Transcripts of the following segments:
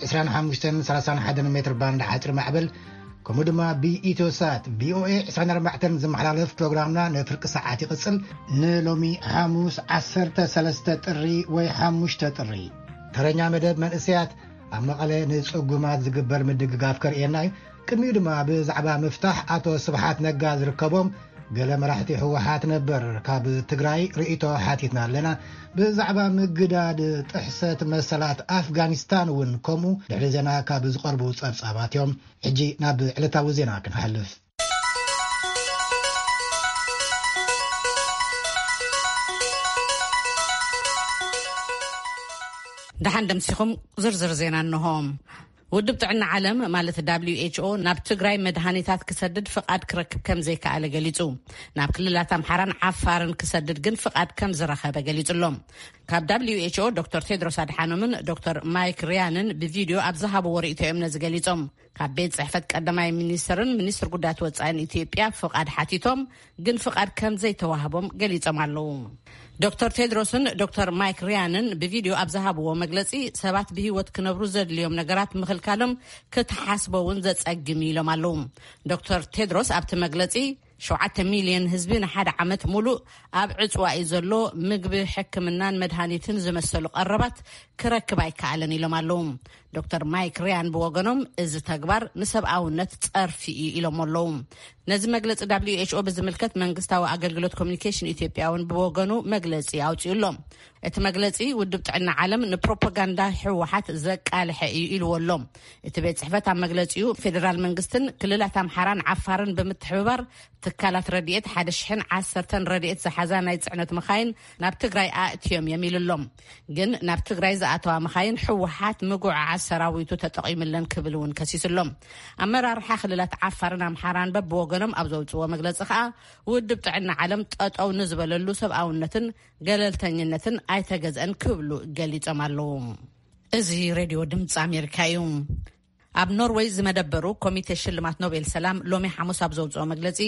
ዕስራን ሓሙሽተን ሰላሳን ሓደን ሜትር ባንድ ሓፂር ማዕበል፣ ከምኡ ድማ ብኢትዮሳት ቪኦኤ ዕስራን ኣርባዕተን ዝመሓላለፍ ፕሮግራምና ንፍርቂ ሰዓት ይቕፅል። ንሎሚ ሓሙስ ዓሰርተ ሰለስተ ጥሪ ወይ ሓሙሽተ ጥሪ፣ ተረኛ መደብ መንእሰያት ኣብ መቐለ ንጽጉማት ዝግበር ምድግጋፍ ከርእየና እዩ። ቅድሚኡ ድማ ብዛዕባ ምፍታሕ ኣቶ ስብሓት ነጋ ዝርከቦም ገለ መራሕቲ ህወሓት ነበር ካብ ትግራይ ርእይቶ ሓቲትና ኣለና። ብዛዕባ ምግዳድ ጥሕሰት መሰላት ኣፍጋኒስታን እውን ከምኡ ድሕሪ ዜና ካብ ዝቐርቡ ጸብጻባት እዮም። ሕጂ ናብ ዕለታዊ ዜና ክንሓልፍ። ደሓን ደምሲኹም ዝርዝር ዜና እንሆ። ውድብ ጥዕና ዓለም ማለት ደብሊው ኤች ኦ ናብ ትግራይ መድሃኒታት ክሰድድ ፍቓድ ክረክብ ከም ዘይከኣለ ገሊጹ። ናብ ክልላት ኣምሓራን ዓፋርን ክሰድድ ግን ፍቓድ ከም ዝረኸበ ገሊጹ ኣሎ። ካብ ደብሊው ኤች ኦ ዶክተር ቴድሮስ ኣድሓኖምን ዶክተር ማይክ ሪያንን ብቪድዮ ኣብ ዝሃብዎ ርእይቶ እዮም ነዚ ገሊጾም። ካብ ቤት ጽሕፈት ቀዳማይ ሚኒስትርን ሚኒስትር ጉዳያት ወጻኢን ኢትዮጵያ ፍቓድ ሓቲቶም ግን ፍቓድ ከም ዘይተዋህቦም ገሊጾም ኣለዉ። ዶክተር ቴድሮስን ዶክተር ማይክ ሪያንን ብቪድዮ ኣብ ዝሃብዎ መግለጺ ሰባት ብህይወት ክነብሩ ዘድልዮም ነገራት ምኽልካሎም ክትሓስቦ እውን ዘጸግም እዩ ኢሎም ኣለዉ። ዶክተር ቴድሮስ ኣብቲ መግለጺ ሸውዓተ ሚልዮን ህዝቢ ንሓደ ዓመት ሙሉእ ኣብ ዕጽዋ እዩ ዘሎ፣ ምግቢ፣ ሕክምናን መድሃኒትን ዝመሰሉ ቀረባት ክረክብ ኣይከኣለን ኢሎም ኣለዉ። ዶክተር ማይክ ሪያን ብወገኖም እዚ ተግባር ንሰብኣውነት ጸርፊ እዩ ኢሎም ኣለዉ። ነዚ መግለጺ ደብሊው ኤች ኦ ብዝምልከት መንግስታዊ ኣገልግሎት ኮሚኒኬሽን ኢትዮጵያ እውን ብወገኑ መግለጺ ኣውጺኡ ኣሎ። እቲ መግለጺ ውድብ ጥዕና ዓለም ንፕሮፓጋንዳ ህወሓት ዘቃልሐ እዩ ኢልዎ ኣሎ። እቲ ቤት ጽሕፈት ኣብ መግለጺኡ ፌደራል መንግስትን ክልላት ኣምሓራን ዓፋርን ብምትሕብባር ትካላት ረድኤት ሓደ ሽሕን ዓሰርተን ረድኤት ዝሓዛ ናይ ጽዕነት መኻይን ናብ ትግራይ ኣእትዮም እዮም ኢሉ ኣሎ። ግን ናብ ትግራይ ዝኣተዋ መኻይን ህወሓት ምጉዕዓዝ ሰራዊቱ ተጠቒምለን ክብል እውን ከሲሱ ኣሎ። ኣመራርሓ ክልላት ዓፋርን ኣምሓራን በብወገኖም ኣብ ዘውፅዎ መግለፂ ከዓ ውድብ ጥዕና ዓለም ጠጠው ንዝበለሉ ሰብኣውነትን ገለልተኝነትን ኣይተገዝአን ክብሉ ገሊጾም ኣለዉ። እዚ ሬድዮ ድምፂ ኣሜሪካ እዩ። ኣብ ኖርወይ ዝመደበሩ ኮሚቴ ሽልማት ኖቤል ሰላም ሎሚ ሓሙስ ኣብ ዘውፅኦ መግለፂ፣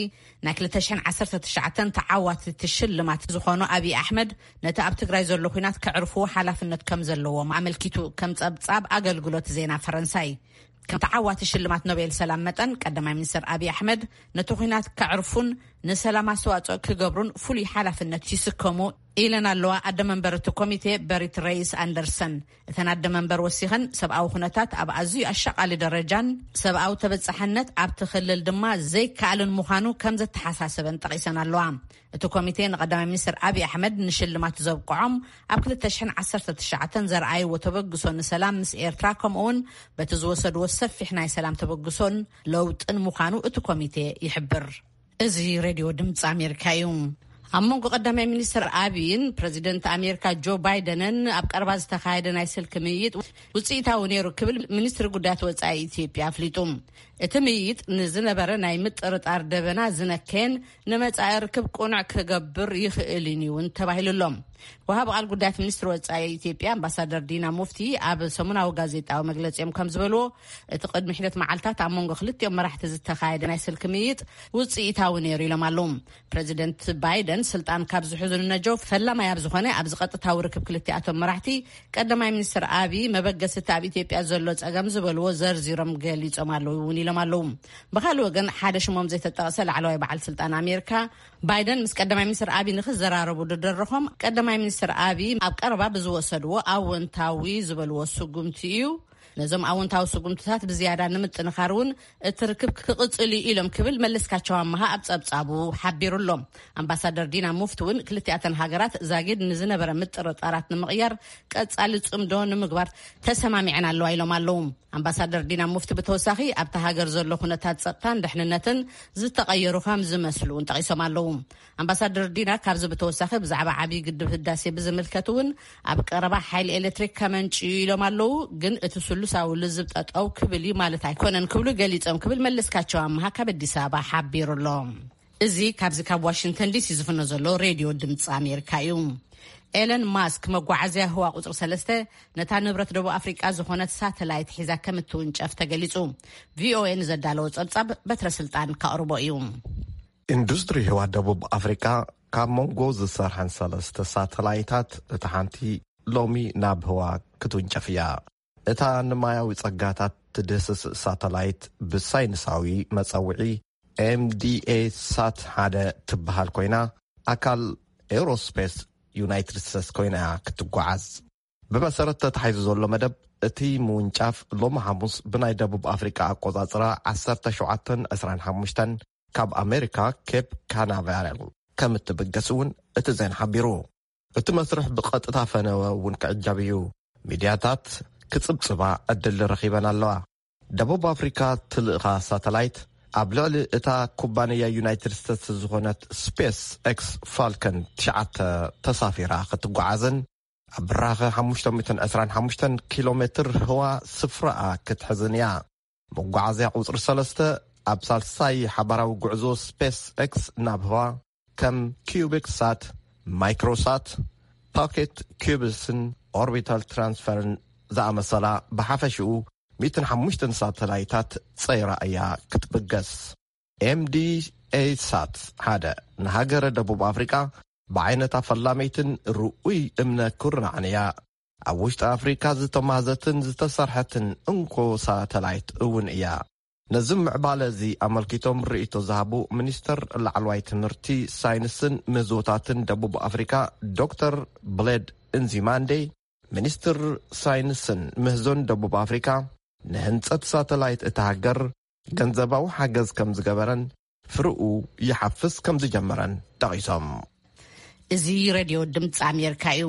ናይ ክልተ ሽሕን ዓሰርተ ትሽዓተን ተዓዋቲ እቲ ሽልማት ዝኾኑ ኣብይ ኣሕመድ ነቲ ኣብ ትግራይ ዘሎ ኲናት ከዕርፍዎ ሓላፍነት ከም ዘለዎም ኣመልኪቱ ከም ጸብጻብ ኣገልግሎት ዜና ፈረንሳይ። ከም ተዓዋቲ ሽልማት ኖቤል ሰላም መጠን ቀዳማይ ሚኒስትር ኣብይ ኣሕመድ ነቲ ኲናት ከዕርፉን ንሰላም ኣስተዋጽኦ ክገብሩን ፍሉይ ሓላፍነት ይስከሙ ኢለን ኣለዋ ኣደ መንበር እቲ ኮሚቴ በሪት ረይስ ኣንደርሰን። እተን ኣደ መንበር ወሲኸን ሰብኣዊ ኩነታት ኣብ ኣዝዩ ኣሻቓሊ ደረጃን ሰብኣዊ ተበጻሕነት ኣብቲ ክልል ድማ ዘይከኣልን ምዃኑ ከም ዘተሓሳሰበን ጠቒሰን ኣለዋ። እቲ ኮሚቴ ንቀዳማይ ሚኒስትር ኣብይ ኣሕመድ ንሽልማት ዘብቅዖም ኣብ ክልተ ሽሕን ዓሰርተ ትሽዓተን ዘርኣይዎ ተበግሶ ንሰላም ምስ ኤርትራ ከምኡውን በቲ ዝወሰድዎ ሰፊሕ ናይ ሰላም ተበግሶን ለውጥን ምዃኑ እቲ ኮሚቴ ይሕብር። እዚ ሬድዮ ድምፂ ኣሜሪካ እዩ። ኣብ መንጎ ቀዳማይ ሚኒስትር ኣብይን ፕረዚደንት ኣሜሪካ ጆ ባይደንን ኣብ ቀረባ ዝተኻየደ ናይ ስልኪ ምይይጥ ውፅኢታዊ ነይሩ ክብል ሚኒስትሪ ጉዳያት ወፃኢ ኢትዮጵያ ኣፍሊጡ። እቲ ምይይጥ ንዝነበረ ናይ ምጥርጣር ደበና ዝነከየን ንመጻኢ ርክብ ቅኑዕ ክገብር ይኽእል እዩ እውን ተባሂሉ ኣሎ። ወሃቢ ቃል ጉዳያት ሚኒስትሪ ወጻኢ ኢትዮጵያ ኣምባሳደር ዲና ሙፍቲ ኣብ ሰሙናዊ ጋዜጣዊ መግለጺኦም ከም ዝበልዎ፣ እቲ ቅድሚ ሒደት መዓልታት ኣብ መንጎ ክልቲኦም መራሕቲ ዝተኻየደ ናይ ስልኪ ምይይጥ ውጽኢታዊ ነይሩ ኢሎም ኣለዉ። ፕረዚደንት ባይደን ስልጣን ካብ ዝሕዙ ንነጀው ፈላማይ ኣብ ዝኾነ ኣብዚ ቀጥታዊ ርክብ ክልቲኣቶም መራሕቲ ቀዳማይ ሚኒስትር ኣብይ መበገስቲ ኣብ ኢትዮጵያ ዘሎ ጸገም ዝበልዎ ዘርዚሮም ገሊጾም ኣለዉ እውን ኢሎም ኣለዉ። ብኻልእ ወገን ሓደ ሽሞም ዘይተጠቕሰ ላዕለዋይ በዓል ስልጣን ኣሜሪካ ባይደን ምስ ቀዳማይ ሚኒስትር ኣብይ ንክዘራረቡ ዝደረኾም ቀዳማይ ሚኒስትር ኣብይ ኣብ ቀረባ ብዝወሰድዎ ኣወንታዊ ዝበልዎ ስጉምቲ እዩ። ነዞም ኣወንታዊ ስጉምትታት ብዝያዳ ንምጥንኻር እውን እቲ ርክብ ክቕጽል እዩ ኢሎም ክብል መለስካቸው ኣመሃ ኣብ ጸብጻቡ ሓቢሩ ኣሎ። ኣምባሳደር ዲና ሙፍቲ እውን ክልቲኣተን ሃገራት ዛጊድ ንዝነበረ ምጥርጣራት ንምቕያር ቀጻሊ ጽምዶ ንምግባር ተሰማሚዐን ኣለዋ ኢሎም ኣለዉ። ኣምባሳደር ዲና ሙፍቲ ብተወሳኺ ኣብታ ሃገር ዘሎ ኩነታት ጸጥታን ድሕንነትን ዝተቐየሩ ከም ዝመስሉ እውን ጠቒሶም ኣለዉ። ኣምባሳደር ዲና ካብዚ ብተወሳኺ ብዛዕባ ዓብዪ ግድብ ህዳሴ ብዝምልከት እውን ኣብ ቀረባ ሓይሊ ኤሌክትሪክ ከመንጭ እዩ ኢሎም ኣለዉ። ግን እቲ ስሉሳዊ ልዝብ ጠጠው ክብል እዩ ማለት ኣይኮነን ክብሉ ገሊጾም ክብል መለስካቸው ኣመሃ ካብ ኣዲስ ኣበባ ሓቢሩ ኣሎ። እዚ ካብዚ ካብ ዋሽንግተን ዲሲ ዝፍኖ ዘሎ ሬድዮ ድምፂ ኣሜሪካ እዩ። ኤለን ማስክ መጓዓዝያ ህዋ ቁፅሪ ሰለስተ ነታ ንብረት ደቡብ ኣፍሪቃ ዝኾነት ሳተላይት ሒዛ ከም እትውንጨፍ ተገሊጹ። ቪኦኤ ንዘዳለዎ ጸብጻብ በትረ ስልጣን ከቕርቦ እዩ። ኢንዱስትሪ ህዋ ደቡብ ኣፍሪቃ ካብ መንጎ ዝሰርሐን ሰለስተ ሳተላይታት እታ ሓንቲ ሎሚ ናብ ህዋ ክትውንጨፍ እያ። እታ ንማያዊ ጸጋታት ትድህስስ ሳተላይት ብሳይንሳዊ መጸውዒ ኤምዲኤ ሳት ሓደ ትበሃል ኮይና፣ ኣካል ኤሮስፔስ ዩናይትድ ስቴትስ ኮይና እያ ክትጓዓዝ። ብመሰረት ተታሒዙ ዘሎ መደብ፣ እቲ ምውንጫፍ ሎሚ ሓሙስ ብናይ ደቡብ ኣፍሪቃ ኣቆጻጽራ ዓሰርተ ሸውዓተን ዕስራን ሓሙሽተን ካብ ኣሜሪካ ኬፕ ካናቨራል ከም እትብገስ እውን እቲ ዜና ሓቢሩ። እቲ መስርሕ ብቐጥታ ፈነወ እውን ክዕጀብ እዩ። ሚድያታት ክጽብጽባ ዕድል ረኺበን ኣለዋ። ደቡብ ኣፍሪካ ትልእኻ ሳተላይት ኣብ ልዕሊ እታ ኩባንያ ዩናይትድ ስቴትስ ዝኾነት ስፔስ ኤክስ ፋልከን ትሽዓተ ተሳፊራ ክትጓዓዝን ኣብ ብራኸ ሓሙሽተ ሚእትን ዕስራን ሓሙሽተን ኪሎ ሜትር ህዋ ስፍራኣ ክትሕዝን እያ። መጓዓዝያ ቁጽሪ ሰለስተ ኣብ ሳልሳይ ሓባራዊ ጉዕዞ ስፔስ ኤክስ ናብ ህዋ ከም ኪዩቢክ ሳት፣ ማይክሮሳት፣ ፓኬት ኪዩብስን ኦርቢታል ትራንስፈርን ዝኣመሰላ ብሓፈሽኡ ሚእትን ሓሙሽተን ሳተላይታት ጸይራ እያ ክትብገስ። ኤምዲኤ ሳት ሓደ ንሃገረ ደቡብ ኣፍሪቃ ብዓይነታ ፈላመይትን ርኡይ እምነ ኩርናዕን እያ። ኣብ ውሽጢ ኣፍሪካ ዝተማህዘትን ዝተሰርሐትን እንኮ ሳተላይት እውን እያ። ነዚ ምዕባለ እዚ ኣመልኪቶም ርእይቶ ዝሃቡ ሚኒስተር ላዕለዋይ ትምህርቲ፣ ሳይንስን ምህዞታትን ደቡብ ኣፍሪካ ዶክተር ብሌድ እንዚማንዴ፣ ሚኒስትር ሳይንስን ምህዞን ደቡብ ኣፍሪካ ንህንጸት ሳተላይት እታ ሃገር ገንዘባዊ ሓገዝ ከም ዝገበረን ፍርኡ ይሓፍስ ከም ዝጀመረን ጠቒሶም። እዚ ሬድዮ ድምፂ ኣሜሪካ እዩ።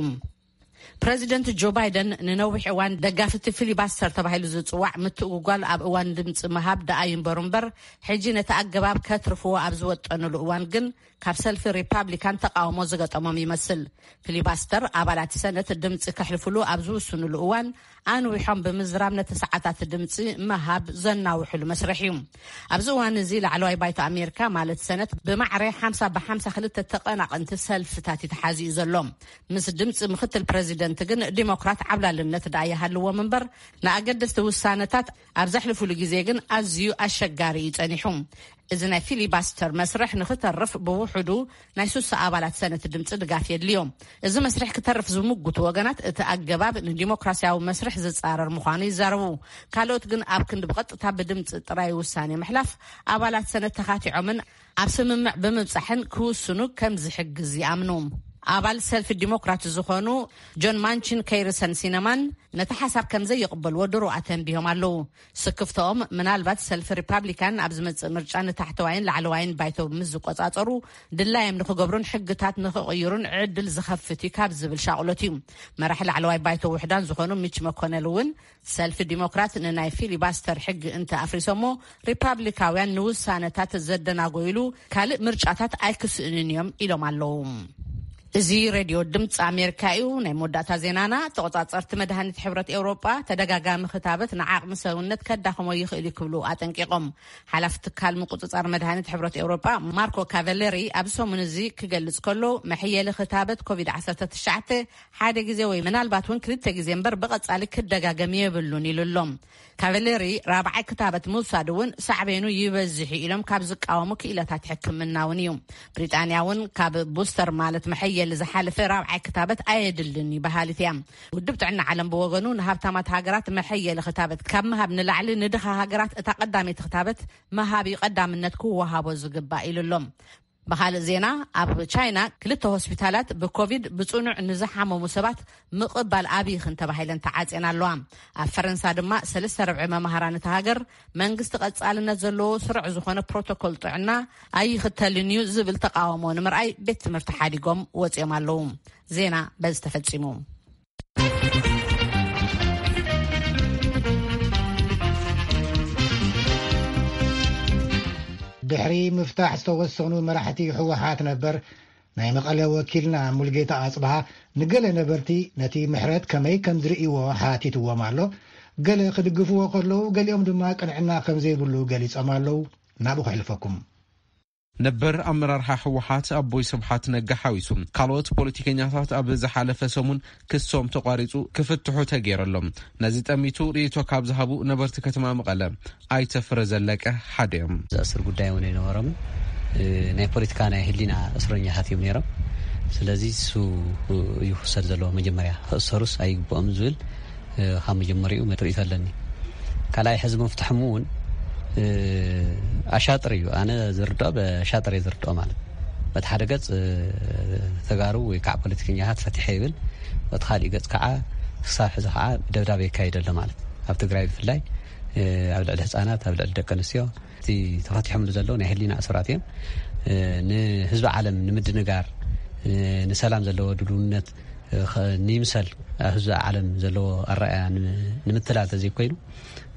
ፕረዚደንት ጆ ባይደን ንነዊሕ እዋን ደጋፍቲ ፊሊባስተር ተባሂሉ ዝፅዋዕ ምትእጉጓል ኣብ እዋን ድምፂ ምሃብ ደኣ ይንበሩ እምበር፣ ሕጂ ነቲ ኣገባብ ከትርፍዎ ኣብ ዝወጠኑሉ እዋን ግን ካብ ሰልፊ ሪፓብሊካን ተቃውሞ ዝገጠሞም ይመስል። ፊሊባስተር ኣባላት ሰነት ድምፂ ከሕልፉሉ ኣብ ዝውስኑሉ እዋን ኣንዊሖም ብምዝራብ ነቲ ሰዓታት ድምፂ ምሃብ ዘናውሕሉ መስርሕ እዩ። ኣብዚ እዋን እዚ ላዕለዋይ ባይቶ ኣሜሪካ ማለት ሰነት ብማዕረ ሓምሳ ብሓምሳ ክልተ ተቐናቐንቲ ሰልፍታት እዩ ተሓዚኡ ዘሎ። ምስ ድምፂ ምክትል ፕረዚደንት ግን ዲሞክራት ዓብላልነት ደኣ ይሃልዎም እምበር ንኣገደስቲ ውሳነታት ኣብ ዘሕልፉሉ ግዜ ግን ኣዝዩ ኣሸጋሪ እዩ ጸኒሑ። እዚ ናይ ፊሊባስተር መስርሕ ንክተርፍ ብውሕዱ ናይ ሱሳ ኣባላት ሰነት ድምፂ ድጋፍ የድልዮ። እዚ መስርሕ ክተርፍ ዝምጉቱ ወገናት እቲ ኣገባብ ንዲሞክራሲያዊ መስርሕ ዝጻረር ምዃኑ ይዛረቡ። ካልኦት ግን ኣብ ክንዲ ብቐጥታ ብድምፂ ጥራይ ውሳኔ ምሕላፍ ኣባላት ሰነት ተኻቲዖምን ኣብ ስምምዕ ብምብጻሕን ክውስኑ ከም ዝሕግዝ ይኣምኑ። ኣባል ሰልፊ ዲሞክራት ዝኾኑ ጆን ማንቺን ከይርሰን ሲነማን ነቲ ሓሳብ ከም ዘይቕበልዎ ድሮ ኣተንቢሆም ኣለዉ። ስክፍተኦም ምናልባት ሰልፊ ሪፓብሊካን ኣብ ዝመጽእ ምርጫ ንታሕተዋይን ላዕለዋይን ባይቶ ምስ ዝቆጻጸሩ ድላዮም ንክገብሩን ሕግታት ንክቕይሩን ዕድል ዝኸፍት እዩ ካብ ዝብል ሻቕሎት እዩ። መራሒ ላዕለዋይ ባይቶ ውሕዳን ዝኾኑ ሚች መኮነል እውን ሰልፊ ዲሞክራት ንናይ ፊሊባስተር ሕጊ እንተ ኣፍሪሶሞ ሪፓብሊካውያን ንውሳነታት ዘደናጎይሉ ካልእ ምርጫታት ኣይክስእንን እዮም ኢሎም ኣለዉ። እዚ ሬድዮ ድምፂ ኣሜሪካ እዩ። ናይ መወዳእታ ዜናና፣ ተቆጻጸርቲ መድሃኒት ሕብረት ኤውሮጳ ተደጋጋሚ ክታበት ንዓቕሚ ሰውነት ከዳኽሞ ይኽእል እዩ ክብሉ ኣጠንቂቖም። ሓላፊ ትካል ምቁጽጻር መድሃኒት ሕብረት ኤውሮጳ ማርኮ ካቨለሪ ኣብዚ ሰሙን እዚ ክገልጽ ከሎ፣ መሕየሊ ክታበት ኮቪድ ዓሰርተ ትሽዓተ ሓደ ግዜ ወይ ምናልባት እውን ክልተ ግዜ እምበር ብቐጻሊ ክደጋገም የብሉን ኢሉ ኣሎ። ካቨሌሪ ራብዓይ ክታበት ምውሳድ እውን ሳዕቤኑ ይበዝሕ እዩ ኢሎም ካብ ዝቃወሙ ክኢላታት ሕክምና እውን እዩ። ብሪጣንያ እውን ካብ ቡስተር ማለት መሐየሊ ዝሓለፈ ራብዓይ ክታበት ኣየድልን እዩ በሃሊት እያ። ውድብ ጥዕና ዓለም ብወገኑ ንሃብታማት ሃገራት መሐየሊ ክታበት ካብ ምሃብ ንላዕሊ ንድኻ ሃገራት እታ ቀዳመይቲ ክታበት ምሃብ እዩ ቀዳምነት ክወሃቦ ዝግባእ ኢሉ ኣሎ። ብኻልእ ዜና፣ ኣብ ቻይና ክልተ ሆስፒታላት ብኮቪድ ብጽኑዕ ንዝሓመሙ ሰባት ምቕባል ኣብይኽን ተባሂለን ተዓጽየን ኣለዋ። ኣብ ፈረንሳ ድማ ሰለስተ ርብዒ መማህራን እታ ሃገር መንግስቲ ቀጻልነት ዘለዎ ስሩዕ ዝኾነ ፕሮቶኮል ጥዕና ኣይኽተልን እዩ ዝብል ተቃውሞ ንምርኣይ ቤት ትምህርቲ ሓዲጎም ወጺኦም ኣለዉ። ዜና በዚ ተፈጺሙ። ድሕሪ ምፍታሕ ዝተወሰኑ መራሕቲ ህወሓት ነበር ናይ መቐለ ወኪልና ሙልጌታ ኣጽብሃ ንገለ ነበርቲ ነቲ ምሕረት ከመይ ከም ዝርእይዎ ሓቲትዎም ኣሎ። ገለ ክድግፍዎ ከለዉ፣ ገሊኦም ድማ ቅንዕና ከም ዘይብሉ ገሊጾም ኣለዉ። ናብኡ ከሕልፈኩም። ነበር ኣመራርሓ ህወሓት ኣቦይ ስብሓት ነጋ ሓዊሱ ካልኦት ፖለቲከኛታት ኣብ ዝሓለፈ ሰሙን ክሶም ተቋሪጹ ክፍትሑ ተገይሩ ኣሎ። ነዚ ጠሚቱ ርእይቶ ካብ ዝሃቡ ነበርቲ ከተማ መቐለ ኣይተ ፍረ ዘለቀ ሓደ እዮም። ዝኣስር ጉዳይ እውን ኣይነበሮምን። እ፣ ናይ ፖለቲካ ናይ ህሊና እስረኛታት እዮም ነይሮም። ስለዚ እሱ እዩ ክውሰድ ዘለዎ፣ መጀመርያ ክእሰሩስ ኣይግብኦም ዝብል ካብ መጀመሪኡ ርእይቶ ኣለኒ። ካልኣይ ሕዚ ምፍትሖም እውን ኣሻጥር እዩ። ኣነ ዝርድኦ ብኣሻጥር እየ ዝርድኦ። ማለት በቲ ሓደ ገፅ ተጋሩ ወይ ከዓ ፖለቲከኛታት ፈቲሐ ይብል፣ በቲ ካሊእ ገፅ ከዓ ክሳብ ሕዚ ከዓ ደብዳብ የካይድ ኣሎ። ማለት ኣብ ትግራይ ብፍላይ ኣብ ልዕሊ ህፃናት፣ ኣብ ልዕሊ ደቂ ኣንስትዮ እቲ ተፈቲሖምሉ ዘለዉ ናይ ህሊና እሱራት እዮም። ንህዝቢ ዓለም ንምድንጋር፣ ንሰላም ዘለዎ ድልውነት፣ ንይምሰል ኣብ ህዝቢ ዓለም ዘለዎ ኣረኣያ ንምትላል ተዘይኮይኑ፣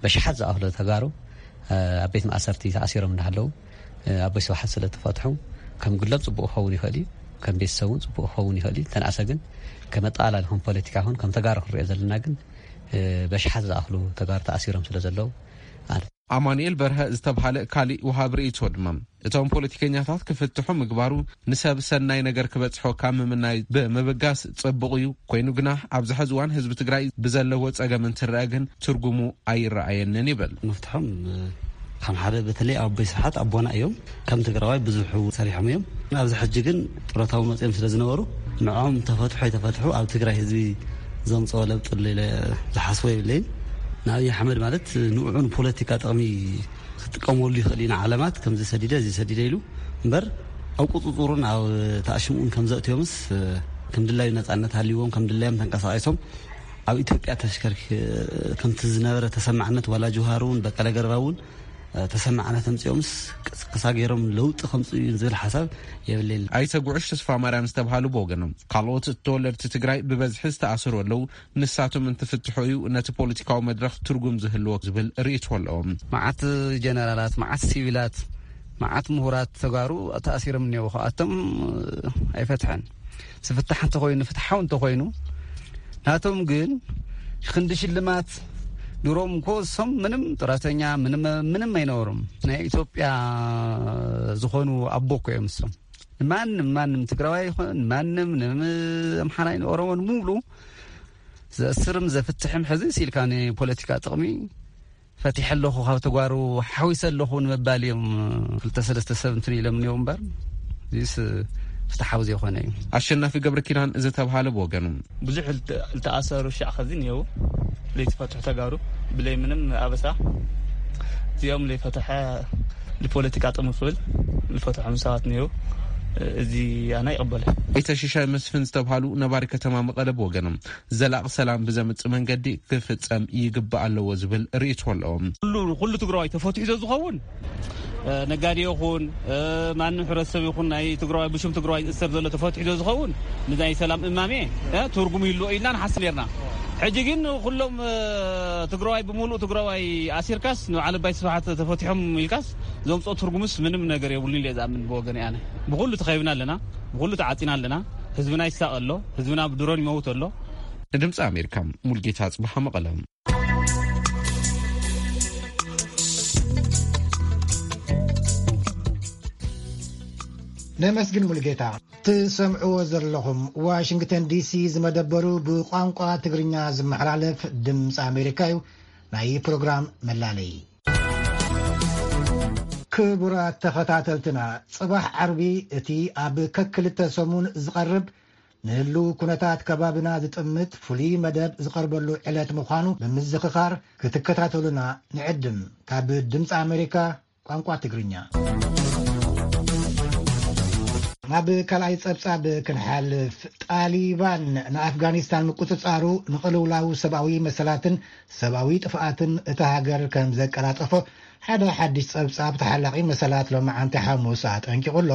በሽሓት ዝኣኽሎ ተጋሩ ኣብ ቤት ማእሰርቲ ተኣሲሮም እንዳሃለዉ ኣቦይ ስብሓት ስለ ተፈትሑ፣ ከም ግሎም ፅቡቅ ክኸውን ይኽእል እዩ። ከም ቤተሰብ እውን ፅቡቅ ክኸውን ይኽእል እዩ። ተንኣሰ ግን ከም ኣጠቓላሊ ከም ፖለቲካ ይኹን ከም ተጋሩ ክንሪኦ ዘለና ግን በሽሓት ዝኣኽሉ ተጋሩ ተኣሲሮም ስለ ዘለዉ ማለት። ኣማኑኤል በርሀ ዝተብሃለ ካሊእ ወሃብ ርእይቶ ድማ፣ እቶም ፖለቲከኛታት ክፍትሑ ምግባሩ ንሰብ ሰናይ ነገር ክበጽሖ ካብ ምምናይ ብምብጋስ ጽቡቕ እዩ። ኮይኑ ግና ኣብዚ ሕዚ እዋን ህዝቢ ትግራይ ብዘለዎ ጸገም እንትረአ ግን ትርጉሙ ኣይረኣየንን ይብል። ምፍትሖም ከም ሓደ በተለይ ኣቦይ ስብሓት ኣቦና እዮም። ከም ትግራዋይ ብዙሕ ሰሪሖም እዮም። ኣብዚ ሕጂ ግን ጡረታዊ መፅኦም ስለ ዝነበሩ ንዕኦም ተፈትሑ ኣይተፈትሑ ኣብ ትግራይ ህዝቢ ዘምፅኦ ለውጢ ኣሎ ኢለ ዝሓስቦ የብለይን። ንኣብይ ኣሕመድ ማለት ንዕኡ ንፖለቲካ ጥቕሚ ክጥቀመሉ ይኽእል እዩ። ንዓለማት ከምዚ ሰዲደ እዚ ሰዲደ ኢሉ እምበር ኣብ ቁፅፅሩን ኣብ ተኣሽምኡን ከም ዘእትዮምስ ከም ድላዩ ነፃነት ሃልይዎም ከም ድላዮም ተንቀሳቒሶም ኣብ ኢትዮጵያ ተሽከርኪ ከምቲ ዝነበረ ተሰማዕነት ዋላ ጅውሃር እውን በቀለ ገርባ እውን ተሰማዕነት ኣምፅኦምስ ቅስቀሳ ገይሮም ለውጢ ከምፅኡ እዩ ዝብል ሓሳብ የብለይን። ኣይተ ጉዕሽ ተስፋ ማርያም ዝተብሃሉ ብወገኖም፣ ካልኦት ተወለድቲ ትግራይ ብበዝሒ ዝተኣሰሩ ኣለዉ፣ ንሳቶም እንትፍትሑ እዩ ነቲ ፖለቲካዊ መድረኽ ትርጉም ዝህልዎ ዝብል ርእይቶ ኣለዎም። መዓት ጀነራላት፣ መዓት ሲቪላት፣ መዓት ምሁራት ተጋሩ ተኣሲሮም እኒአው። ከኣቶም ኣይፈትሐን። ዝፍታሕ እንተኾይኑ፣ ፍትሓዊ እንተኾይኑ፣ ናቶም ግን ክንዲ ሽልማት ድሮም እኮ እሶም ምንም ጡረተኛ ምንም፣ ምንም ኣይነበሮም። ናይ ኢትዮጵያ ዝኾኑ ኣቦ እኮ እዮም እሶም። ማንም፣ ማንም ትግራዋይ ይኹን ማንም፣ ንኣምሓራይ ንኦሮሞን ሙሉ ዘእስርም ዘፍትሕም ሕዚ ሲልካ ንፖለቲካ ጥቕሚ ፈቲሐ ኣለኹ፣ ካብ ተጓሩ ሓዊሰ ኣለኹ ንምባል እዮም ክልተ ሰለስተ ሰብ እንትን ኢሎም እኒኦ እምበር፣ እዚስ ፍትሓዊ ዘይኮነ እዩ። ኣሸናፊ ገብረ ኪዳን ዝተብሃለ ብወገኑ፣ ብዙሕ ልተ-፣ ልተኣሰሩ ሻዕ ኸዚ እኒአው፣ ለይተፈትሑ ተጋሩ ብለይ ምንም ኣበሳ፣ እዚኦም ለይፈትሐ ንፖለቲካ ጥቕሚ ክብል ዝፈትሖም ሰባት እኒአው። እዚ ኣነ ኣይቕበልን። ኣይተ ሽሻይ መስፍን ዝተብሃሉ ነባሪ ከተማ መቐለ ብወገኖም፣ ዘላቒ ሰላም ብዘምጽእ መንገዲ ክፍጸም ይግባእ ኣለዎ ዝብል ርእይቶ ኣለዎም። ኩሉ፣ ኩሉ ትግራዋይ ተፈቲሑ ዝኸውን፣ እ፣ ነጋዴ ይኹን፣ እ፣ ማንም ሕብረተሰብ ይኹን ናይ ትግራዋይ ብሽም ትግራዋይ ዝእሰር ዘሎ ተፈቲሑ ዝኸውን ንናይ ሰላም እማሜ፣ እ፣ ትርጉም ይህልዎ ኢልና ንሓስብ ነርና። ሕጂ ግን ኩሎም፣ እ፣ ትግራዋይ ብምሉእ ትግራዋይ ኣሲርካስ ንበዓል ኣባይ ስብሓት ተፈቲሖም ኢልካስ ዘምፅኦ ትርጉምስ ምንም ነገር የብሉን ኢለ ዝኣምን ብወገን ኣነ። ብኩሉ ተኸቢብና ኣለና፣ ብኩሉ ተዓፂና ኣለና። ህዝብና ይሳቐ ኣሎ፣ ህዝብና ብድሮን ይመውት ኣሎ። ንድምፂ ኣሜሪካ ሙልጌታ ኣፅብሃ መቐለ። ነመስግን ሙልጌታ። ትሰምዕዎ ዘለኹም ዋሽንግተን ዲሲ ዝመደበሩ ብቋንቋ ትግርኛ ዝመሓላለፍ ድምፂ ኣሜሪካ እዩ። ናይ ፕሮግራም መላለይ። ክቡራት ተኸታተልትና፣ ጽባሕ ዓርቢ እቲ ኣብ ከክልተ ሰሙን ዝቐርብ ንህልው ኩነታት ከባብና ዝጥምት ፍሉይ መደብ ዝቐርበሉ ዕለት ምዃኑ ብምዝኽኻር ክትከታተሉና ንዕድም። ካብ ድምፂ ኣሜሪካ ቋንቋ ትግርኛ። ናብ ካልኣይ ጸብጻብ ክንሓልፍ፣ ጣሊባን ንኣፍጋኒስታን ምቁጽጻሩ ንቕልውላው ሰብኣዊ መሰላትን ሰብኣዊ ጥፍኣትን እታ ሃገር ከም ዘቀላጠፎ ሓደ ሓድሽ ጸብጻብ ተሓላቒ መሰላት ሎማዓንቲ ሓሙስ ኣጠንቂቑ ኣሎ።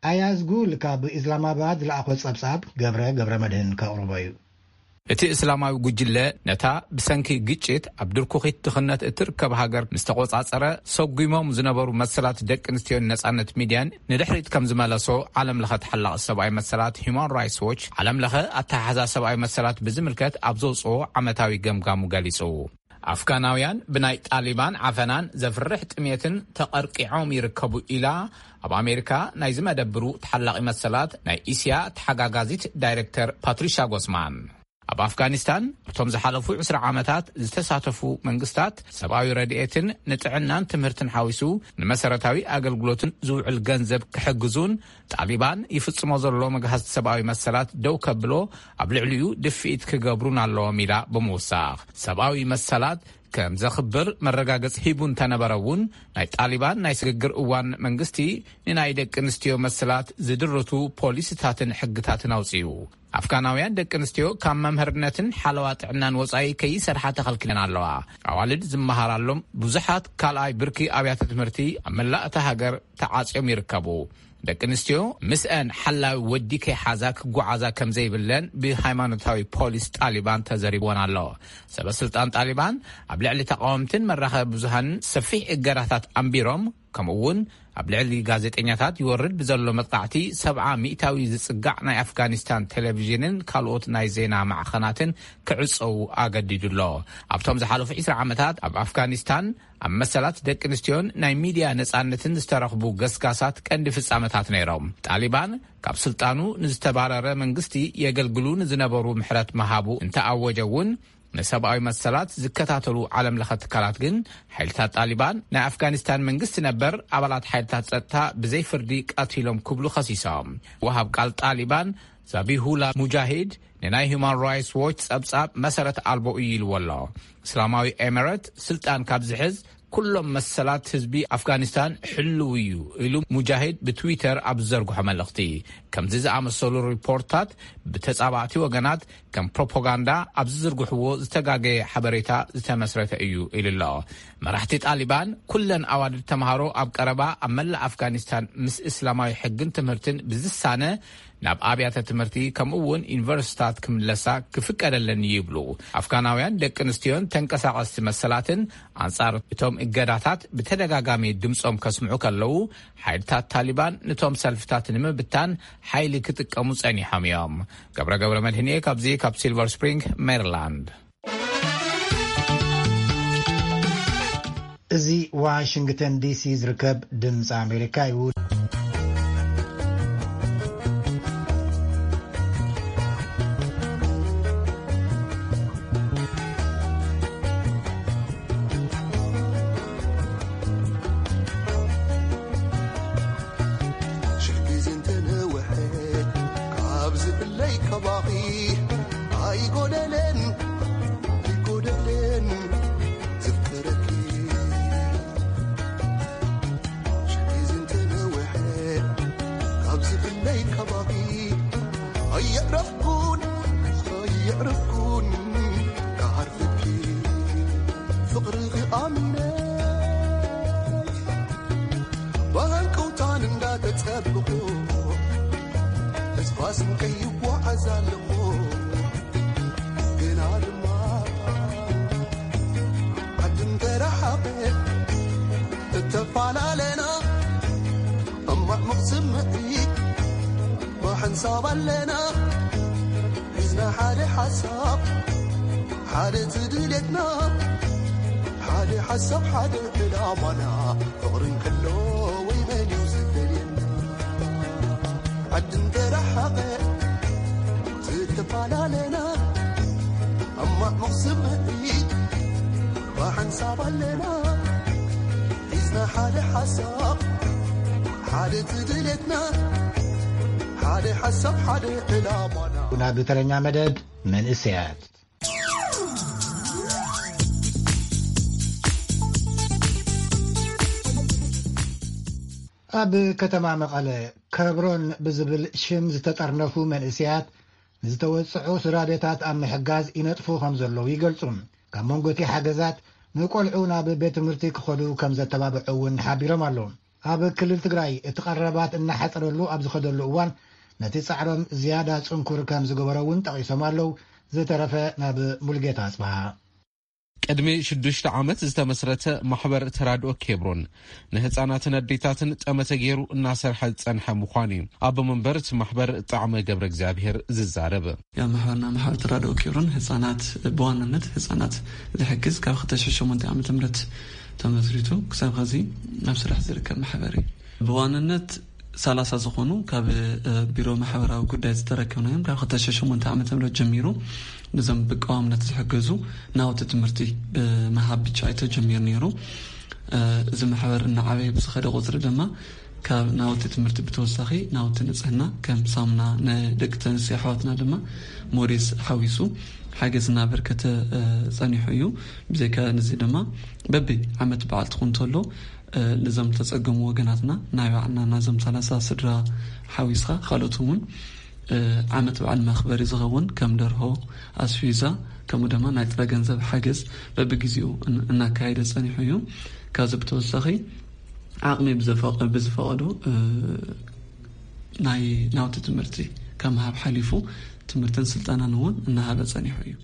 ኣያዝ ጉል ካብ ኢስላማባድ ዝለኣኾ ጸብጻብ ገብረ ገብረ መድህን ከቕርቦ እዩ። እቲ እስላማዊ ጉጅለ ነታ ብሰንኪ ግጭት ኣብ ድርኩኺት ድኽነት እትርከብ ሃገር ምስ ተቖጻጸረ፣ ሰጒሞም ዝነበሩ መሰላት ደቂ ኣንስትዮን ነጻነት ሚድያን ንድሕሪት ከም ዝመለሶ ዓለም ለኸ ተሓላቒ ሰብኣዊ መሰላት ሂዩማን ራይትስ ዎች፣ ዓለም ለኸ ኣተሓሕዛ ሰብኣዊ መሰላት ብዝምልከት ኣብ ዘውጽኦ ዓመታዊ ገምጋሙ ገሊጹ። ኣፍጋናውያን ብናይ ጣሊባን ዓፈናን ዘፍርሕ ጥሜትን ተቐርቂዖም ይርከቡ ኢላ ኣብ ኣሜሪካ ናይ ዝመደብሩ ተሓላቒ መሰላት ናይ እስያ ተሓጋጋዚት ዳይሬክተር ፓትሪሻ ጎስማን። ኣብ ኣፍጋኒስታን ኣብቶም ዝሓለፉ ዕስራ ዓመታት ዝተሳተፉ መንግስታት ሰብኣዊ ረድኤትን ንጥዕናን ትምህርትን ሓዊሱ ንመሰረታዊ ኣገልግሎትን ዝውዕል ገንዘብ ክሕግዙን ጣሊባን ይፍጽሞ ዘሎ መግሃስቲ ሰብኣዊ መሰላት ደው ከብሎ ኣብ ልዕሊኡ ድፍኢት ክገብሩን ኣለዎም ኢላ ብምውሳኽ ሰብኣዊ መሰላት ከም ዘኽብር መረጋገጽ ሂቡ እንተነበረ እውን ናይ ጣሊባን ናይ ስግግር እዋን መንግስቲ ንናይ ደቂ ኣንስትዮ መሰላት ዝድርቱ ፖሊሲታትን ሕግታትን ኣውፅኡ። ኣፍጋናውያን ደቂ ኣንስትዮ ካብ መምህርነትን ሓለዋ ጥዕናን ወጻኢ ከይሰርሓ ተኸልኪለን ኣለዋ። ኣዋልድ ዝመሃራሎም ብዙሓት ካልኣይ ብርኪ ኣብያተ ትምህርቲ ኣብ መላእ እታ ሃገር ተዓጽዮም ይርከቡ። ደቂ ኣንስትዮ ምስአን ሓላዊ ወዲ ከይሓዛ ክጓዓዛ ከም ዘይብለን ብሃይማኖታዊ ፖሊስ ጣሊባን ተዘሪብወን ኣሎ። ሰበ ስልጣን ጣሊባን ኣብ ልዕሊ ተቃወምትን መራኸቢ ብዙሃንን ሰፊሕ እገዳታት ኣንቢሮም፣ ከምኡ እውን ኣብ ልዕሊ ጋዜጠኛታት ይወርድ ብዘሎ መጥቃዕቲ ሰብዓ ሚእታዊ ዝጽጋዕ ናይ ኣፍጋኒስታን ቴሌቪዥንን ካልኦት ናይ ዜና ማዕኸናትን ክዕጸዉ ኣገዲዱ ኣሎ። ኣብቶም ዝሓለፉ ዕስራ ዓመታት ኣብ ኣፍጋኒስታን ኣብ መሰላት ደቂ ኣንስትዮን ናይ ሚድያ ነጻነትን ዝተረኽቡ ገስጋሳት ቀንዲ ፍጻመታት ነይሮም። ጣሊባን ካብ ስልጣኑ ንዝተባረረ መንግስቲ የገልግሉ ንዝነበሩ ምሕረት ምሃቡ እንተኣወጀ እውን ንሰብኣዊ መሰላት ዝከታተሉ ዓለም ለኸ ትካላት ግን ሓይልታት ጣሊባን ናይ ኣፍጋኒስታን መንግስቲ ነበር ኣባላት ሓይልታት ጸጥታ ብዘይ ፍርዲ ቀቲሎም ክብሉ ከሲሶም። ወሃብ ቃል ጣሊባን ዛቢሁላ ሙጃሂድ ንናይ ሁማን ራይትስ ዎች ጸብጻብ መሰረት ኣልቦ እዩ ኢልዎ ኣሎ። እስላማዊ ኤምረት ስልጣን ካብ ዝሕዝ ኩሎም መሰላት ህዝቢ ኣፍጋኒስታን ሕልው እዩ ኢሉ ሙጃሂድ ብትዊተር ኣብ ዝዘርግሖ መልእኽቲ። ከምዚ ዝኣመሰሉ ሪፖርታት ብተጻባእቲ ወገናት ከም ፕሮፓጋንዳ ኣብ ዝዝርግሕዎ ዝተጋገየ ሓበሬታ ዝተመስረተ እዩ ኢሉ ኣሎ። መራሕቲ ጣሊባን ኩለን ኣዋልድ ተምሃሮ ኣብ ቀረባ ኣብ መላእ ኣፍጋኒስታን ምስ እስላማዊ ሕግን ትምህርትን ብዝሳነ ናብ ኣብያተ ትምህርቲ ከምኡ እውን ዩኒቨርሲታት ክምለሳ ክፍቀደለን ይብሉ። ኣፍጋናውያን ደቂ ኣንስትዮን ተንቀሳቐስቲ መሰላትን ኣንጻር እቶም እገዳታት ብተደጋጋሚ ድምጾም ከስምዑ ከለዉ ሓይልታት ታሊባን ነቶም ሰልፍታት ንምብታን ሓይሊ ክጥቀሙ ጸኒሖም እዮም። ገብረ ገብረ መድህንኤ ካብዚ ካብ ሲልቨር ስፕሪንግ ሜሪላንድ። እዚ ዋሽንግተን ዲሲ ዝርከብ ድምፂ ኣሜሪካ እዩ። ሽሕ ግዜ እንተነውሐ ካብ ዝብለይ ካባኺ ኣይጎደለን ኣይጎደለን ዘፍቅረኪ። ሽሕ ግዜ እንተነውሐ ካብ ዝብለይ ካባኺ ኣየዕረፍኩን ኣየዕረፍኩን ክዓርፈኪ ፍቕርኺ ኣሚነ ብሃንቀውታን እንዳተጸበኹ ተስፋ ስንቀይ ይጓዓዝ ኣለኹ። ግና ድማ ዓድም ተረሓቐ እተፈላለና እማዕሙቕ ስምዒት ብሓንሳብ ኣለና ሒዝና ሓደ ሓሳብ ሓደ ትድልየትና ሓደ ሓሳብ ሓደ ዕላማና ፍቕሪ እንከሎ ወይ መን እዩ ዝደልየና ዓዲ እንተረሓቐ ዝተፈላለና እማዕሙቕ ስምዒት ብሓንሳብ ኣለና ሒዝና ሓደ ሓሳብ ሓደ ትድልየትና ሓደ ሓሳብ ሓደ ዕላማና ናብ ተረኛ መደብ መንእሰያት። ኣብ ከተማ መቐለ ከብሮን ብዝብል ሽም ዝተጠርነፉ መንእሰያት ንዝተወጽዑ ስድራ ቤታት ኣብ ምሕጋዝ ይነጥፉ ከም ዘለዉ ይገልጹ። ካብ መንጎ እቲ ሓገዛት ንቆልዑ ናብ ቤት ትምህርቲ ክኸዱ ከም ዘተባብዑ እውን ሓቢሮም ኣለዉ። ኣብ ክልል ትግራይ እቲ ቀረባት እናሓጸረሉ ኣብ ዝኸደሉ እዋን ነቲ ጻዕሮም ዝያዳ ጽንኩር ከም ዝገበሮ እውን ጠቒሶም ኣለዉ። ዝተረፈ ናብ ሙልጌታ ኣጽብሃ። ቅድሚ ሽዱሽተ ዓመት ዝተመስረተ ማሕበር ተራድኦ ኬብሮን ንህፃናትን ኣዴታትን ጠመተ ገይሩ እናሰርሐ ዝፀንሐ ምዃኑ እዩ ኣቦ መንበር እቲ ማሕበር ጣዕመ ገብረ እግዚኣብሔር ዝዛረብ። ያ ማሕበርና ማሕበር ተራድኦ ኬብሮን ህፃናት ብዋናነት ህፃናት ዝሕግዝ ካብ ክልተ ሽሕን ሸሞንተን ዓመተ ምህረት ተመስሪቱ ክሳብ ኸዚ ኣብ ስራሕ ዝርከብ ማሕበር እዩ። ብዋናነት ሰላሳ ዝኾኑ ካብ ቢሮ ማሕበራዊ ጉዳይ ዝተረከብናዮም ካብ ክልተ ሺሕ ሸሞንተ ዓመተ ምህረት ጀሚሩ፣ ነዞም ብቀዋምነት ዝሕገዙ ናውቲ ትምህርቲ ብምሃብ ብቻ እዩ ተጀሚሩ ነይሩ። እዚ ማሕበር እናዓበየ ብዝኸደ ቁፅሪ ድማ ካብ ናውቲ ትምህርቲ ብተወሳኺ ናውቲ ንፅህና ከም ሳሙና፣ ንደቂ ተንስዮ ኣሕዋትና ድማ ሞዴስ ሓዊሱ ሓገዝ እናበርከተ ፀኒሑ እዩ። ብዘይካ ንዚ ድማ በቢ ዓመት በዓል ትኹን እንተሎ፣ ነዞም ተፀገሙ ወገናትና ናይ ባዕልና ናዞም ሰላሳ ስድራ ሓዊስካ ካልኦት እውን ዓመት በዓል መኽበሪ ዝኸውን ከም ደርሆ፣ ኣስፊዛ፣ ከምኡ ድማ ናይ ጥረ ገንዘብ ሓገዝ በብግዜኡ እናካየደ ፀኒሑ እዩ። ካብዚ ብተወሳኺ ዓቕሚ ብዝፈቐዶ ናይ ናውቲ ትምህርቲ ከም ሃብ ሓሊፉ ትምህርትን ስልጠናን እውን እናሃበ ፀኒሑ እዩ።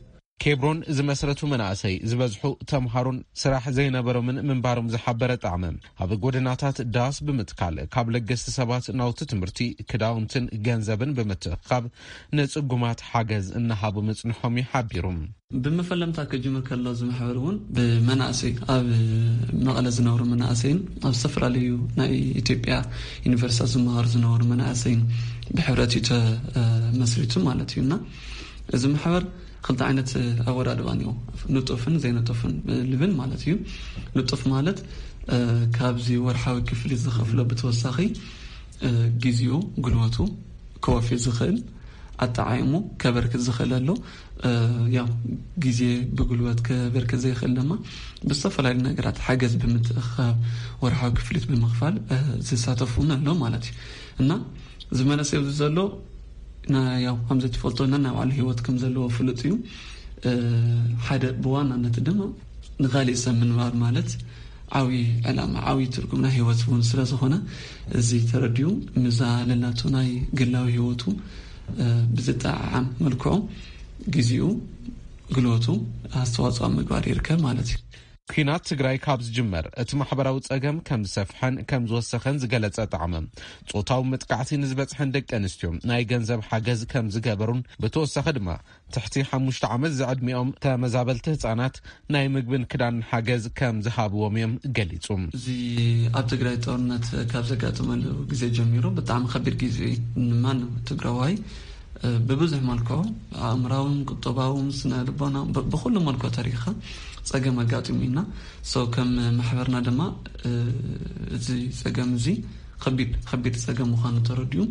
ኬብሮን ዝመስረቱ መናእሰይ ዝበዝሑ ተምሃሮን ስራሕ ዘይነበሮምን ምንባሮም ዝሓበረ ጣዕመ፣ ኣብ ጎደናታት ዳስ ብምትካል ካብ ለገስቲ ሰባት ናውቲ ትምህርቲ፣ ክዳውንትን ገንዘብን ብምትእኻብ ንጽጉማት ሓገዝ እናሃቡ ምጽንሖም እዩ ሓቢሩ። ብመፈለምታ ክጅምር ከሎ እዚ ማሕበር እውን ብመናእሰይ፣ ኣብ መቐለ ዝነብሩ መናእሰይን ኣብ ዝተፈላለዩ ናይ ኢትዮጵያ ዩኒቨርሲታት ዝመሃሩ ዝነበሩ መናእሰይን ብሕብረት እዩ ተመስሪቱ ማለት እዩ። እና እዚ ማሕበር ክልተ ዓይነት ኣወዳድባ እኒኦ፣ ንጡፍን ዘይንጡፍን ልብል ማለት እዩ። ንጡፍ ማለት ካብዚ ወርሓዊ ክፍሊት ዝኸፍሎ ብተወሳኺ ግዜኡ፣ ጉልበቱ ከወፊ ዝኽእል፣ ኣጠዓይሙ ከበርክት ዝኽእል ኣሎ። ያው ግዜ ብጉልበት ከበርክት ዘይኽእል ድማ ብዝተፈላለዩ ነገራት ሓገዝ ብምትእኻብ፣ ወርሓዊ ክፍሊት ብምኽፋል ዝሳተፉ እውን ኣሎ ማለት እዩ። እና ዝመለሰ ኣብዚ ዘሎ ያው ከምዚ ትፈልጦ ነናይ ባዕሉ ህይወት ከም ዘለዎ ፍሉጥ እዩ። ሓደ ብዋናነት ድማ ንኻሊእ ሰብ ምንባር ማለት ዓብዪ ዕላማ፣ ዓብዪ ትርጉም ናይ ህይወት እውን ስለ ዝኾነ፣ እዚ ተረዲኡ ምዛ ለላቶ ናይ ግላዊ ህይወቱ ብዝጠዓዓም መልክዑ ግዜኡ፣ ግልበቱ ኣስተዋፅኦ ኣብ ምግባር ይርከብ ማለት እዩ። ኲናት ትግራይ ካብ ዝጅመር እቲ ማሕበራዊ ጸገም ከም ዝሰፍሐን ከም ዝወሰኸን ዝገለጸ ጣዕመ፣ ጾታዊ መጥቃዕቲ ንዝበጽሐን ደቂ ኣንስትዮ ናይ ገንዘብ ሓገዝ ከም ዝገበሩን ብተወሳኺ ድማ ትሕቲ ሓሙሽተ ዓመት ዝዕድሚኦም ተመዛበልቲ ህጻናት ናይ ምግብን ክዳንን ሓገዝ ከም ዝሃብዎም እዮም ገሊጹ። እዚ ኣብ ትግራይ ጦርነት ካብ ዘጋጠመሉ ግዜ ጀሚሩ ብጣዕሚ ከቢድ ግዜ እዩ። ንማንም ትግራዋይ ብብዙሕ መልክዑ፣ ኣእምራውን ቁጠባውን ስነ ልቦና፣ ብኩሉ መልክዑ ተሪኻ ጸገም ኣጋጢሙ ኢና። ሶ ከም ማሕበርና ድማ እዚ ጸገም እዚ ከቢድ ከቢድ ጸገም ምዃኑ ተረዲኡ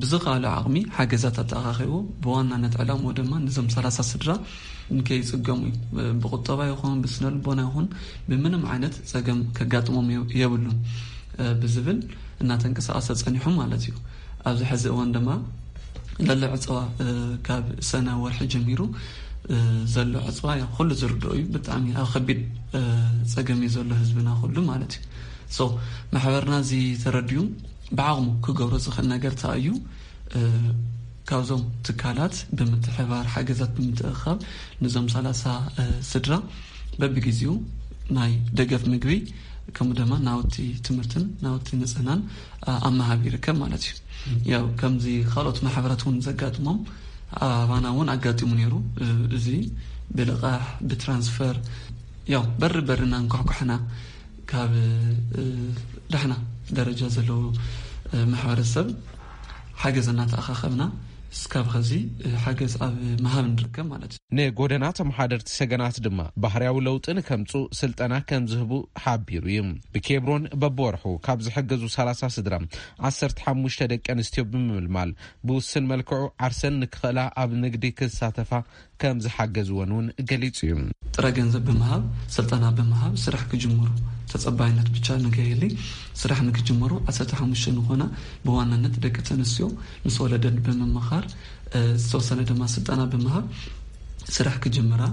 ብዝኸኣሎ ዓቕሚ ሓገዛት ኣተኣኻኺቡ፣ ብዋናነት ዕላምኡ ድማ ነዞም ሰላሳ ስድራ ንከይጽገሙ እዩ። ብቁጠባ ይኹን ብስነ ልቦና ይኹን ብምንም ዓይነት ጸገም ከጋጥሞም የብሉን ብዝብል እናተንቀሳቐሰ ጸኒሑ ማለት እዩ። ኣብዚ ሕዚ እዋን ድማ ለሎ ዕፅዋ ካብ ሰነ ወርሒ ጀሚሩ ዘሎ ዕፅዋ ኩሉ ዝርድኦ እዩ። ብጣዕሚ ኣብ ከቢድ ጸገም እዩ ዘሎ ህዝብና ኩሉ ማለት እዩ። ሶ ማሕበርና እዚ ተረዲኡ ብዓቕሙ ክገብሮ ዝኽእል ነገር እንታይ እዩ? ካብዞም ትካላት ብምትሕባር ሓገዛት ብምትእኻብ ንዞም ሰላሳ ስድራ በብግዜኡ ናይ ደገፍ ምግቢ ከምኡ ድማ ናውቲ ትምህርትን ናውቲ ንጽህናን ኣብ ምሃብ ይርከብ ማለት እዩ። ያው ከምዚ ካልኦት ማሕበራት እውን ዘጋጥሞም ኣባና እውን ኣጋጢሙ ነይሩ። እዚ ብልቓሕ ብትራንስፈር ያው በሪ በሪ እናንኳሕኳሕና ካብ ዳሕና ደረጃ ዘለዎ ማሕበረሰብ ሓገዝ እናተኣኻኸብና እስካብ ኸዚ ሓገዝ ኣብ ምሃብ ንርከብ ማለት እዩ። ንጎደና ተመሓደርቲ ሰገናት ድማ ባህርያዊ ለውጢ ንከምፁ ስልጠና ከም ዝህቡ ሓቢሩ እዩ። ብኬብሮን በብወርሑ ካብ ዝሕገዙ ሰላሳ ስድራ ዓሰርተ ሓሙሽተ ደቂ ኣንስትዮ ብምምልማል ብውስን መልክዑ ዓርሰን ንክኽእላ ኣብ ንግዲ ክሳተፋ ከም ዝሓገዝወን እውን ገሊጹ እዩ። ጥረ ገንዘብ ብምሃብ፣ ስልጠና ብምሃብ፣ ስራሕ ክጅምሩ ተጸባይነት ብቻ ንከይህሊ ስራሕ ንክጅምሩ ዓሰርተ ሓሙሽተ ንኾና ብዋናነት ደቂ ተንስትዮ ምስ ወለደን ብምምኻር ዝተወሰነ ድማ ስልጠና ብምሃብ ስራሕ ክጅምራ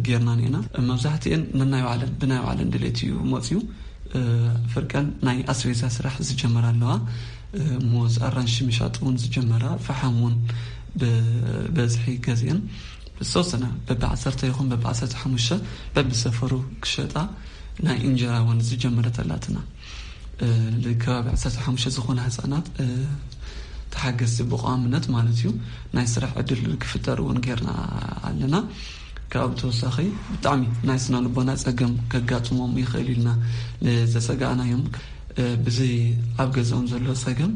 ጌርና ኔና። መብዛሕትኤን ነናይ ባዕለን ብናይ ባዕለን ድሌት እዩ መፅዩ። ፍርቀን ናይ ኣስቤዛ ስራሕ ዝጀመራ ኣለዋ። ሙዝ ኣራንሺ ምሻጥ እውን ዝጀመራ፣ ፈሓም እውን ብበዝሒ ገዚአን ዝተወሰነ በቢ ዓሰርተ ይኹን በቢ ዓሰርተ ሓሙሽተ በብሰፈሩ ክሸጣ ናይ እንጀራ እውን ዝጀመረት ኣላትና። ከባቢ ዓሰርተ ሓሙሽተ ዝኾነ ህፃናት ተሓገዝቲ ብቋምነት ማለት እዩ ናይ ስራሕ ዕድል ክፍጠር እውን ጌርና ኣለና። ካብ ተወሳኺ ብጣዕሚ ናይ ስነ ልቦና ፀገም ከጋጥሞም ይኽእል ኢልና ንዘሰጋእናዮም ብዚ ኣብ ገዛኦም ዘሎ ጸገም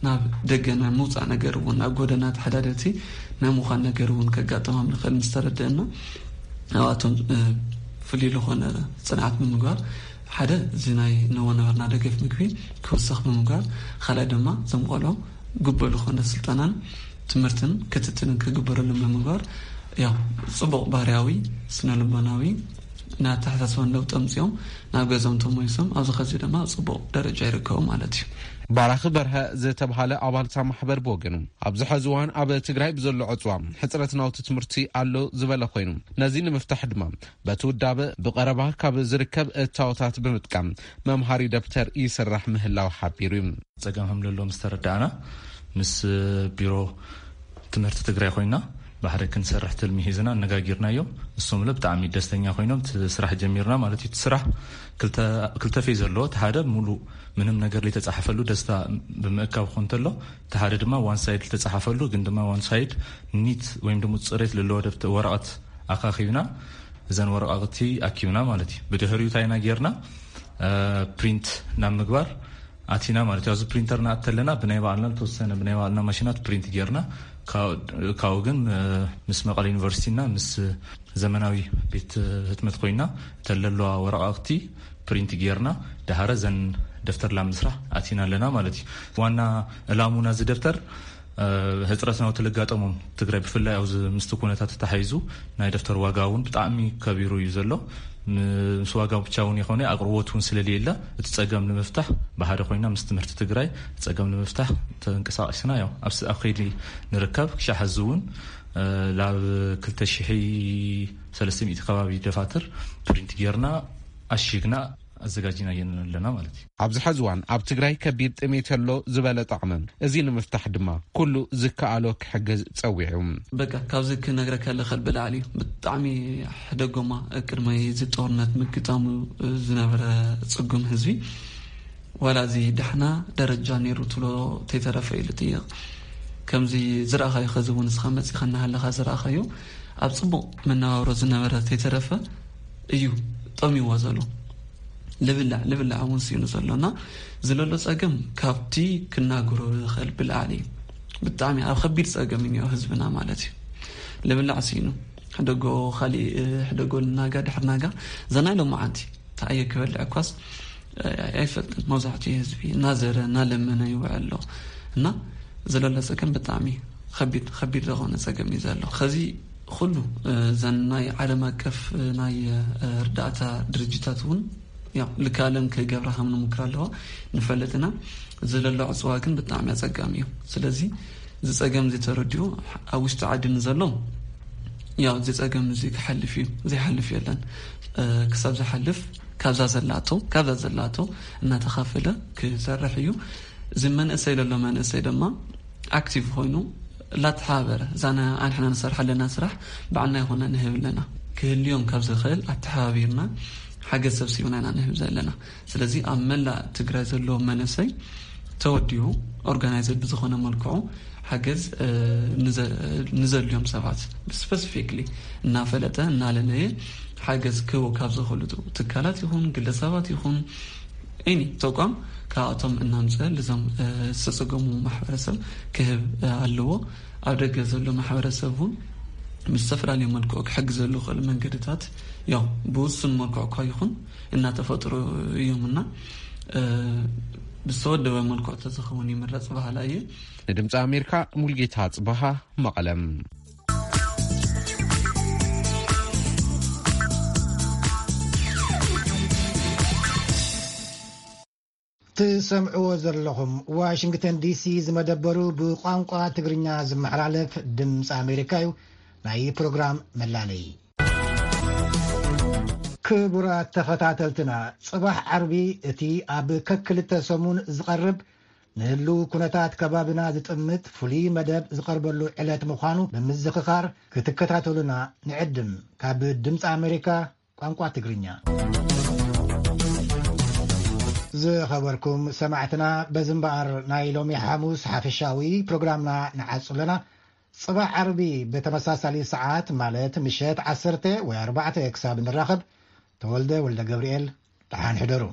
ናብ ደገ ናይ ምውጻእ ነገር እውን፣ ኣብ ጎደና ተሓዳደርቲ ናይ ምዃን ነገር እውን ከጋጥሞም ንኽእል ምስ ተረድእና፣ ኣብኣቶም ፍሉይ ዝኾነ ጽንዓት ብምግባር፣ ሓደ እዚ ናይ ንወ ነበርና ደገፍ ምግቢ ክውስኽ ብምግባር፣ ካልኣይ ድማ እዞም ቆልዑ ግቡእ ዝኾነ ስልጠናን ትምህርትን ክትትልን ክግበረሎም ብምግባር፣ ያው ጽቡቕ ባህርያዊ፣ ስነ ልቦናዊ ናይ ኣተሓሳስባን ለውጢ ኣምጺኦም ናብ ገዛኦም ተመሊሶም ኣብዚ ኸዚ ድማ ጽቡቕ ደረጃ ይርከቡ ማለት እዩ። ባራኺ በርሀ ዝተብሃለ ኣባልታ ማሕበር ብወገኑ፣ ኣብዚ ሐዚ እዋን ኣብ ትግራይ ብዘሎ ዕፅዋ ሕፅረት ናውቲ ትምህርቲ ኣሎ ዝበለ ኮይኑ፣ ነዚ ንምፍታሕ ድማ በቲ ውዳበ ብቐረባ ካብ ዝርከብ እታወታት ብምጥቃም መምሃሪ ደብተር ይስራሕ ምህላው ሓቢሩ እዩ። ጸገም ከም ዘሎ ምስ ተረዳእና፣ ምስ ቢሮ ትምህርቲ ትግራይ ኮይና ብሓደ ክንሰርሕ ትልሚ ሒዝና ኣነጋጊርናዮም። እሶም ለ ብጣዕሚ ደስተኛ ኮይኖም እቲ ስራሕ ጀሚርና ማለት እዩ። እቲ ስራሕ ክልተ፣ ክልተ ፌዝ ኣለዎ። እቲ ሓደ ሙሉእ ምንም ነገር ዘይተጻሓፈሉ ደስታ ብምእካብ ክኾን እንተሎ፣ እቲ ሓደ ድማ ዋን ሳይድ ዝተጻሓፈሉ ግን ድማ ዋን ሳይድ ኒት ወይም ደግሞ ጽሬት ዘለዎ ደብተ-፣ ወረቐት ኣኻኺብና እዘን ወረቓቕቲ ኣኪብና ማለት እዩ። ብድሕሪኡ እንታይ ኢና ጌርና? ፕሪንት ናብ ምግባር ኣቲና ማለት እዩ። ኣብዚ ፕሪንተር ንኣቲ ኣለና፣ ብናይ ባዕልና ዝተወሰነ ብናይ ባዕልና ማሽናት ፕሪንት ጌርና፣ ካብ፣ ካብኡ ግን ምስ መቐለ ዩኒቨርሲቲና ምስ ዘመናዊ ቤት ህትመት ኮይና እተን ለለዋ ወረቓቕቲ ፕሪንት ጌርና፣ ደሃረ ዘን ደፍተር ላብ ምስራሕ ኣቲና ኣለና ማለት እዩ። ዋና ዕላሙና እዚ ደፍተር ሕፅረት ናውቲ ለጋጠሞም ትግራይ ብፍላይ ኣብዚ ምስቲ ኩነታት ተታሒዙ ናይ ደፍተር ዋጋ እውን ብጣዕሚ ከቢሩ እዩ ዘሎ። ምስ ዋጋ ብቻ እውን ይኾነ ኣቅርቦት እውን ስለሌለ እቲ ፀገም ንምፍታሕ ብሓደ ኮይና ምስ ትምህርቲ ትግራይ ፀገም ንምፍታሕ ተንቀሳቂስና ያው ኣብ ስ-፣ ኣብ ከይዲ ንርከብ። ክሻ ሕዚ እውን ላብ ክልተ ሽሕ ሰለስተ ሚእቲ ከባቢ ደፋትር ፕሪንት ጌርና ኣሺግና ኣዘጋጅና ኣለና ማለት እዩ። ኣብዚ ሐዚ እዋን ኣብ ትግራይ ከቢድ ጥሜት ኣሎ ዝበለ ጣዕመ፣ እዚ ንምፍታሕ ድማ ኩሉ ዝከኣሎ ክሕግዝ ጸዊዑ። በቃ ካብዚ ክነግረካ ልኽእል ብላዕሊ እዩ። ብጣዕሚ ሕደጎማ ቅድሚ እዚ ጦርነት ምግጣሙ ዝነበረ ጽጉም ህዝቢ ዋላ እዚ ዳሕና ደረጃ ነይሩ ትብሎ ተይተረፈ ኢሉ ጥይቕ። ከምዚ ዝረኣኻዮ ኸዚ እውን ንስኻ መጺኻ እናሃለኻ ዝረኣኻዮ ኣብ ጽቡቕ መነባብሮ ዝነበረ ተይተረፈ እዩ ጠሚዎ ዘሎ። ልብላዕ፣ ልብላዕ እውን ስኢኑ ዘሎ እና ዝለሎ ጸገም ካብቲ ክናገሮ ዝኽእል ብላዕሊ እዩ። ብጣዕሚ ኣብ ከቢድ ጸገም እዩ እኒኦ ህዝብና ማለት እዩ። ልብላዕ ስኢኑ ሕደጎ ካሊእ ሕደጎ ናጋ ድሕር ናጋ ዘናይ ሎማዓንቲ ተኣየ ክበልዕ እኳስ ኣይፈልጥን። መብዛሕትኡ ህዝቢ እናዘረ እናለመነ ይውዕል ኣሎ እና ዘለሎ ጸገም ብጣዕሚ ከቢድ፣ ከቢድ ዝኾነ ጸገም እዩ ዘሎ። ከዚ ኩሉ፣ እ፣ እዘን ናይ ዓለም ኣቀፍ፣ እ፣ ናይ፣ እ፣ እርዳእታ ድርጅታት እውን ያው ልካለን ክገብራ ከም ንምክር ኣለዋ ንፈልጥ ኢና። ዘለሎ ዕፅዋ ግን ብጣዕሚ ኣጸጋሚ እዩ። ስለዚ እዚ ጸገም እዚ ተረዲኡ ኣብ ውሽጢ ዓዲ ንዘሎ ያው እዚ ጸገም እዚ ክሓልፍ እዩ፣ ዘይሓልፍ የለን። እ፣ ክሳብ ዝሓልፍ ካብዛ ዘላቶ፣ ካብዛ ዘላቶ እናተኻፈለ ክሰርሕ እዩ። እዚ መንእሰይ ዘሎ መንእሰይ ድማ ኣክቲቭ ኮይኑ ላተሓባበረ እዛ ና-፣ ኣንሕና ንሰርሕ ኣለና ስራሕ ባዕልና ይኾና ንህብ ኣለና። ክህልዮም ካብ ዝኽእል ኣተሓባቢርና ሓገዝ ሰብሲብና ኢና ንህብ ዘለና። ስለዚ ኣብ መላእ ትግራይ ዘሎ መንእሰይ ተወዲኡ ኦርጋናይዝድ ብዝኾነ መልክዑ ሓገዝ፣ እ፣ ንዘ-፣ ንዘድልዮም ሰባት ስፐሲፊክሊ እናፈለጠ እናለለየ ሓገዝ ክህቡ ካብ ዝኽእሉ ትካላት ይኹን ግለሰባት ይኹን ኤኒ ተቋም ካብኣቶም እናምፀ ልዞም፣ እ፣ ዝተፀገሙ ማሕበረሰብ ክህብ፣ እ፣ ኣለዎ። ኣብ ደገ ዘሎ ማሕበረሰብ እውን ብዝተፈላለዩ መልክዑ ክሕግዘሉ ክኽእል መንገድታት ያው ብውሱን መልክዑ እኳ ይኹን እናተፈጥሩ እዮም እና፣ እ፣ ብዝተወደበ መልክዑ ተዝኸውን ይምረፅ በሃላ እየ። ንድምፂ ኣሜሪካ ሙልጌታ ጽበሃ መቐለም። ትሰምዕዎ ዘለኹም ዋሽንግተን ዲሲ ዝመደበሩ ብቋንቋ ትግርኛ ዝመሓላለፍ ድምፂ ኣሜሪካ እዩ። ናይ ፕሮግራም መላለይ። ክቡራት ተኸታተልትና፣ ጽባሕ ዓርቢ እቲ ኣብ ከክልተ ሰሙን ዝቐርብ ንህልው ኩነታት ከባብና ዝጥምት ፍሉይ መደብ ዝቐርበሉ ዕለት ምዃኑ ብምዝኽኻር ክትከታተሉና ንዕድም። ካብ ድምፂ ኣሜሪካ ቋንቋ ትግርኛ። ዝኸበርኩም ሰማዕትና፣ በዚ እምበኣር ናይ ሎሚ ሓሙስ ሓፈሻዊ ፕሮግራምና ንዓጹ ኣለና። ጽባሕ ዓርቢ ብተመሳሳሊ ሰዓት፣ ማለት ምሸት ዓሰርተ ወይ ኣርባዕተ ክሳብ ንራኸብ፣ ተወልደ ወልደ ገብርኤል፣ ደሓን ሕደሩ።